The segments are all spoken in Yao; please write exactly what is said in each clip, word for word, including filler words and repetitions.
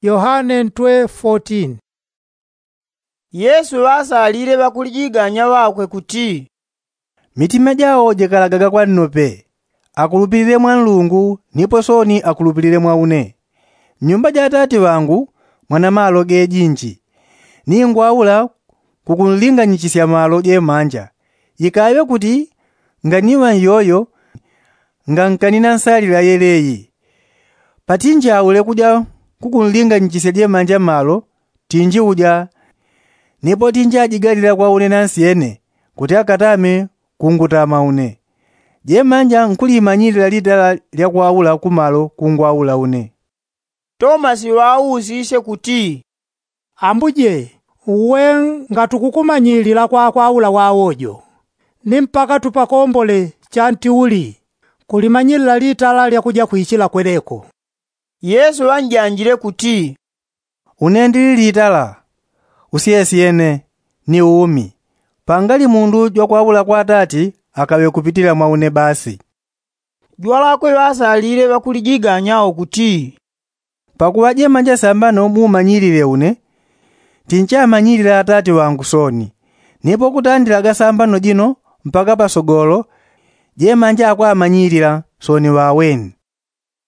Yohane ntwe fotin. Yesu ŵasalile ŵakulijiganya ŵakwe kuti, mitima jao jikalagaga kwa nnope, akulupilile mwa nlungu nipo sooni akulupilile mwa une. Mnyumba ja atati ŵangu mwana malo gejinji. Ningwaula kukunlinganyichisya malo jemanja. Ikaŵe kuti nganiŵa nyoyo ngankanina nsalila yeleyi. Patinjaule kuja kukunlinganyichisya jemanja malo tinjiuja. Nipo tinjajigalila kwa une nansyene kuti akatame kungutama une. Jemanja nkulimanyilila litala lya kwaula kumalo kungwaula une. Tomasi ŵausisye kuti, ambuje, uwe ngatukukumanyilila kwa kwaula wawojo, ni mpaka tupakombole chanti uli kulimanyilila litala lya kuja kwichila kweneko? Yesu ŵanjanjile kuti, une ndili litala, usyesyene, ni umi. Pangali mundu jwakwaula kwa atati akaŵe kupitila mwa une basi. Jwalakwe ŵasalile ŵakulijiganya ukuti, pakuŵa jemanja sambano mumanyilile une, tinchamanyilila atati ŵangu sooni. Nipo kutandilaga sambano jino mpaka pasogolo jemanja akwamanyilila sooni ŵaweni.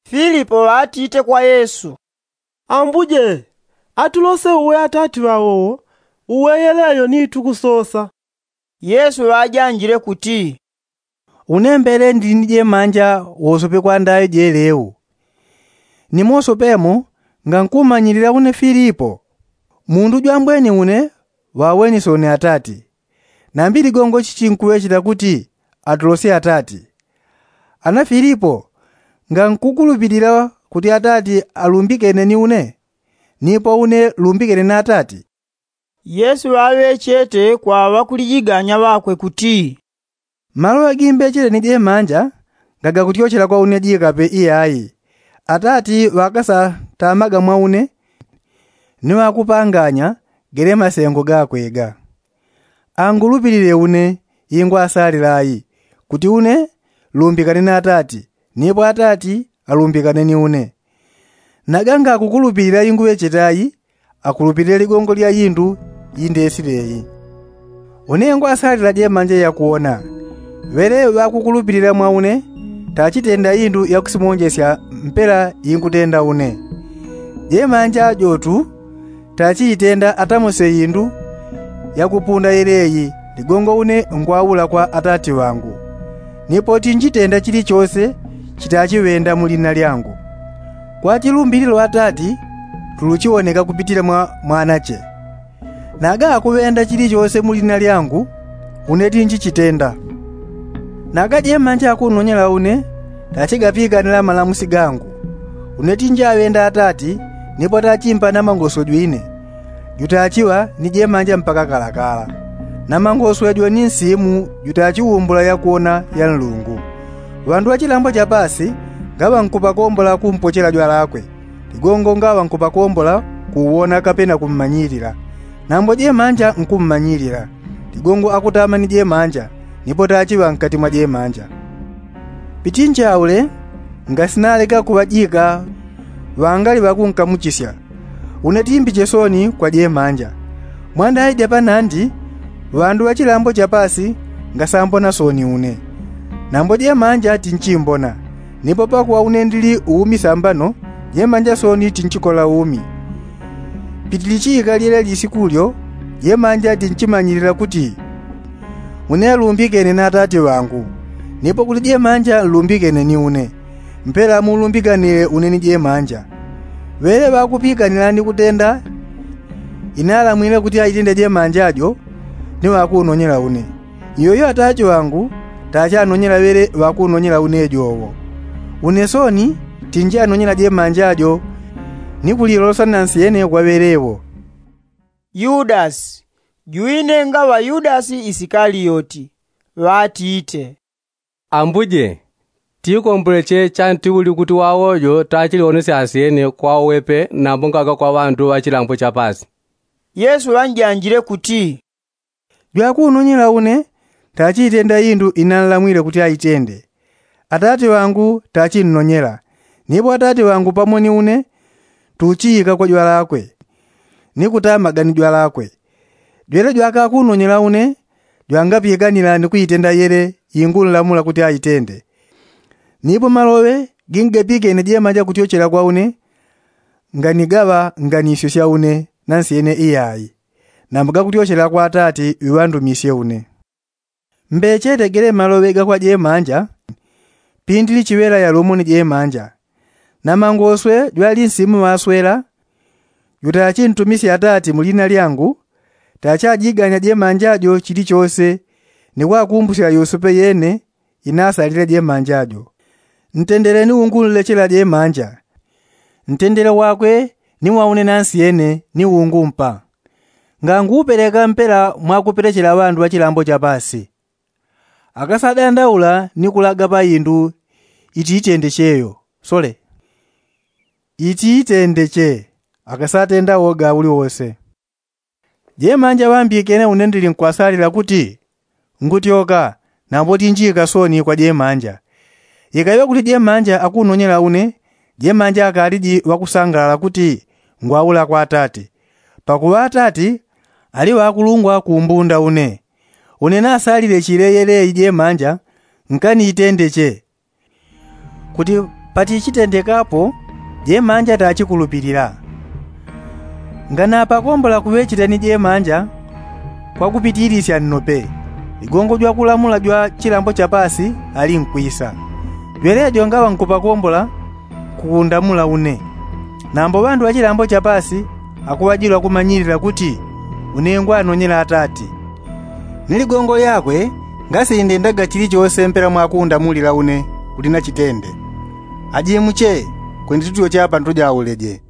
Filipo ŵatite kwa yesu, ambuje, atulose uwe atati ŵawowo, uwe yeleyo ni tukusosa. Yesu ŵajanjile kuti, une mbele ndili ni jemanja wosope kwa ndayo jeleu. Ni mosope mo ngankumanyilila une filipo? Mundu jwambweni une ŵaweni sooni atati. Nambi ligongo chichinkuŵechela kuti atulosye atati. Ana filipo, ngankukulupilila kuti atati alumbikene ni une, nipo une lumbikene na atati? Yesu ŵaŵechete kwa ŵakulijiganya ŵakwe kuti, maloŵe gimbechele ni jemanja ngagakutyochela kwa une jikape iyai. Atati ŵakasatamaga mwa une, ni ŵakupanganya gele masengo gakwe ga. Angulupilile une ingwasalila ai, kuti une lumbikane na atati, nipo atati alumbikane ni une. Naga ngakukulupilila inguŵechete ai, akulupilile ligongo lya indu indesile i. Une ngwasalila jemanja yakuwona. Ŵele ŵakukulupilila mwa une tachitenda indu yakusimonjesya mpela ingutenda une. Jemanja jotu tachiitenda atamose indu yakupunda yeleyi ligongo une ngwaula kwa atati ŵangu. Nipo tinjitenda chilichose chitachiŵenda mu lina lyangu. Kwa chilumbililo atati tuluchiwoneka kupitila mwa mwanache. Naga akuŵenda chilichose mu lina lyangu, une tinjichitenda. Naga jemanja akunonyela une tachigapikanila malamusi gangu. Une tinjaŵenda atati, nipo tachimpa na mangoswe jwine. Jutachiŵa ni jemanja mpaka kalakala. Na mangoswe jwani nsimu jutachiwumbula yakuwona ya nlungu. Ŵandu ŵa chilambo cha pasi ngaŵankupakombola kumpochela jwalakwe. Ligongo ngaŵankupakombola kuwona kapena kummanyilila. Nambo jemanja nkummanyilila. Ligongo akutama ni jemanja, nipo tachiŵa nkati mwa jemanja. Pitinchaule ngasinaleka kuŵajika ŵangali ŵakunkamuchisya. Une timbiche sooni kwa jemanja. Mwandaija panandi ŵandu ŵa chilambo cha pasi ngasambona sooni une. Nambo jemanja tinchimbona. Nipo pakuŵa une ndili umi sambano, jemanja sooni tinchikola umi. Pitilichiika lyele lisiku lyo, jemanja tinchimanyilila kuti une lumbikene na atati ŵangu. Nipo kuti jemanja nlumbikene ni une, mpela mulumbikanile une ni jemanja. Ŵele ŵakupikanila ni kutenda inalamwile kuti aitende jemanja jo, ni ŵakunonyela une. Iyoyo atati ŵangu tachanonyela ŵele ŵakunonyela une jowo. Une sooni tinjanonyela jemanja jo, ni kulilolosa nansyene kwa ŵele wo. Yudasi, jwine ngaŵa yudasi isikaliyoti, ŵatite, ambuje, tikomboleche chanti uli kuti wawojo tachiliwonesya ansyene kwa uwepe nambo ngaga kwa ŵandu ŵa chilambo cha pasi? Yesu ŵanjanjile kuti, jwakunonyela une tachiitenda indu inanlamwile kuti aitende. Atati ŵangu tachinnonyela, nipo atati ŵangu pamo ni une tuchiyika kwa jwalakwe ni kutama gani jwalakwe. Jwele jwakakunonyela une jwangapikanila ni kuitenda yele ingunlamula kuti aitende. Nipo maloŵe gingapikene jemanja kutyochela kwa une, nganigaŵa nganisyo sya une nansyene iyayi, nambo gakutyochela kwa atati ŵiŵandumisye une. Mbeche tegele maloŵe gakwa jemanja. Pindili chiŵela yalumone jemanja, namangoswe jwali nsimu ŵaswela, jutachintumisye atati mulina lyangu, tachajiganya jemanja jo chilichose ni kwakumbusya yosepe yene inasalile jemanja jo. Ntendele ni ungunlechela jemanja. Ntendele wakwe ni wa une nansyene ni ungumpa. Ngangupeleka mpela mwakupelechela ŵandu ŵa chilambo chapasi. Akasadandaula ni kulaga pa indu itiitendeche yo sole itiitendeche. Akasatenda woga uliwose. Jemanja ŵambikene une ndili nkwasalila kuti ngutyoka, nambo tinjika soni kwa jemanja. Ikaŵe kuti jemanja akunonyela une, jemanja akaliji ŵakusangalala kuti ngwaula kwa atati, pakuŵa atati ali ŵakulungwa kumbunda une. Une nasalile chileyeleyi jemanja nkaniitendeche kuti patichitendekapo jemanja tachikulupilila. Nganapakombola kuŵechiteni jemanja kwakupitilisya nnope, ligongo jwakulamula jwa chilambo chapasi ali nkwisa. Jwelejo ngaŵa nkupakombola kukundamula une, nambo ŵandu ŵa chilambo chapasi akuŵajilwa kumanyilila kuti une ngwanonyela atati. Ni ligongo lyakwe ngasindendaga chilichose mpela mwakundamulila une kuti nachitende. Ajimuche, kwenditutyoche apa ntujauleje.